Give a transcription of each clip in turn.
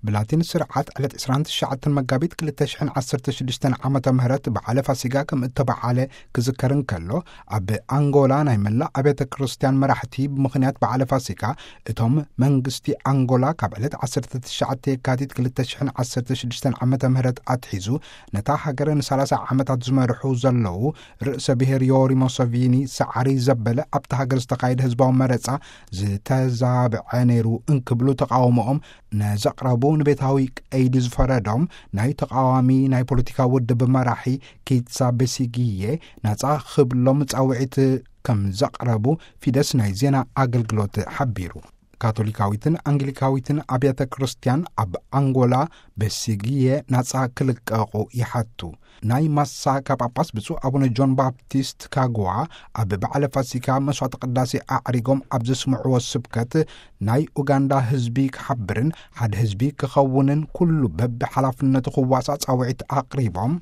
ብላቲን ስርዓት ዕለት ዕስራን ትሽዓተን መጋቢት ክልተ ሽሕን ዓሰርተ ሽዱሽተን ዓመተ ምህረት በዓለ ፋሲጋ ከም እተበዓለ ክዝከር እንከሎ፣ ኣብ ኣንጎላ ናይ መላእ ኣብያተ ክርስቲያን መራሕቲ ብምኽንያት በዓለ ፋሲጋ፣ እቶም መንግስቲ ኣንጎላ ካብ ዕለት ዓሰርተ ትሽዓተ የካቲት ክልተ ሽሕን ዓሰርተ ሽዱሽተን ዓመተ ምህረት ኣትሒዙ ነታ ሃገር ንሰላሳ ዓመታት ዝመርሑ ዘለዉ ርእሰ ብሔር ዮሪ ሞሶቪኒ፣ ሰዓሪ ዘበለ ኣብታ ሃገር ዝተኻየደ ህዝባዊ መረጻ ዝተዛብዐ ነይሩ እንክብሉ ተቃውሞኦም ነዘቕረቡ ንቤታዊ ቀይዲ ዝፈረዶም ናይ ተቃዋሚ ናይ ፖለቲካ ውድብ መራሒ ኪትሳ ቤሲጊዬ ናጻ ክብሎም ጻውዒት ከም ዘቕረቡ ፊደስ ናይ ዜና ኣገልግሎት ሓቢሩ። ካቶሊካዊትን ኣንግሊካዊትን ኣብያተ ክርስቲያን ኣብ ኣንጎላ ቤሲጊዬ ናጻ ክልቀቑ ይሓቱ። ናይ ማሳካ ጳጳስ ብፁዕ ኣቡነ ጆን ባፕቲስት ካጉዋ ኣብ በዓለ ፋሲካ መስዋዕተ ቅዳሴ ኣዕሪጎም ኣብ ዘስምዕዎ ስብከት፣ ናይ ኡጋንዳ ህዝቢ ክሓብርን ሓደ ህዝቢ ክኸውንን ኩሉ በብሓላፍነቱ ክዋሳእ ጻውዒት ኣቕሪቦም፣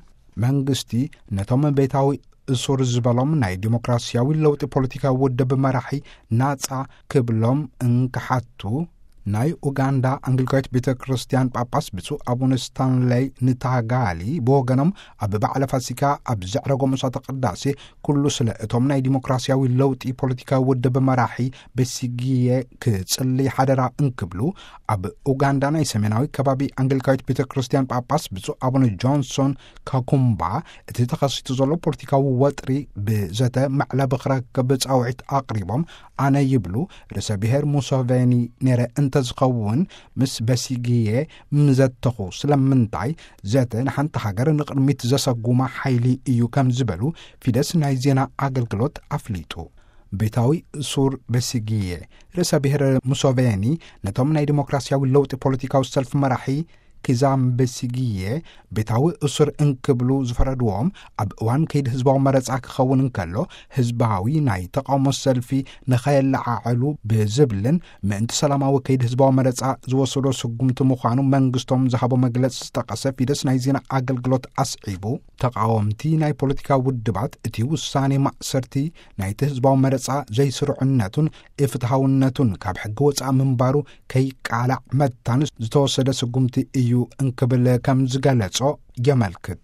መንግስቲ ነቶም ቤታዊ እሱር ዝበሎም ናይ ዲሞክራሲያዊ ለውጢ ፖለቲካዊ ውድብ መራሒ ናጻ ክብሎም እንክሓቱ፣ ናይ ኡጋንዳ ኣንግሊካዊት ቤተ ክርስቲያን ጳጳስ ብፁዕ ኣቡነ ስታንለይ ንታጋሊ ብወገኖም፣ ኣብ በዓለ ፋሲካ ኣብ ዘዕረጎ መስዋዕተ ቅዳሴ፣ ኩሉ ስለ እቶም ናይ ዲሞክራሲያዊ ለውጢ ፖለቲካዊ ውድብ መራሒ ቤሲጊየ ክጽሊ ሓደራ እንክብሉ፣ ኣብ ኡጋንዳ ናይ ሰሜናዊ ከባቢ ኣንግሊካዊት ቤተ ክርስቲያን ጳጳስ ብፁዕ ኣቡነ ጆንሶን ካኩምባ፣ እቲ ተኸሲቱ ዘሎ ፖለቲካዊ ወጥሪ ብዘተ መዕለቢ ክረክብ ጻውዒት ኣቕሪቦም፣ ኣነ ይብሉ፣ ርእሰ ብሔር ሙሶቬኒ ነይረ እንተዝኸውን፣ ምስ በሲጊየ ምዘተኹ። ስለምንታይ? ዘተ ንሓንቲ ሃገር ንቕድሚት ዘሰጉማ ሓይሊ እዩ ከም ዝበሉ ፊደስ ናይ ዜና ኣገልግሎት ኣፍሊጡ። ቤታዊ ሱር በሲጊየ፣ ርእሰ ብሔር ሙሶቬኒ፣ ነቶም ናይ ዲሞክራሲያዊ ለውጢ ፖለቲካዊ ሰልፊ መራሒ ኪዛም በሲጊየ፣ ቤታዊ እሱር እንክብሉ ዝፈረድዎም፣ ኣብ እዋን ከይዲ ህዝባዊ መረጻ ክኸውን እንከሎ፣ ህዝባዊ ናይ ተቃውሞ ሰልፊ ንኸየለዓዕሉ ብዝብልን ምእንቲ ሰላማዊ ከይዲ ህዝባዊ መረጻ ዝወሰዶ ስጉምቲ ምዃኑ መንግስቶም ዝሃቦ መግለጺ ዝጠቀሰ ፊደስ ናይ ዜና ኣገልግሎት ኣስዒቡ፣ ተቃወምቲ ናይ ፖለቲካ ውድባት እቲ ውሳኔ ማእሰርቲ ናይቲ ህዝባዊ መረጻ ዘይስሩዕነቱን ኢፍትሃውነቱን ካብ ሕጊ ወጻኢ ምንባሩ ከይቃላዕ መታን ዝተወሰደ ስጉምቲ እዩ እንክብል ከም ዝገለጾ የመልክት።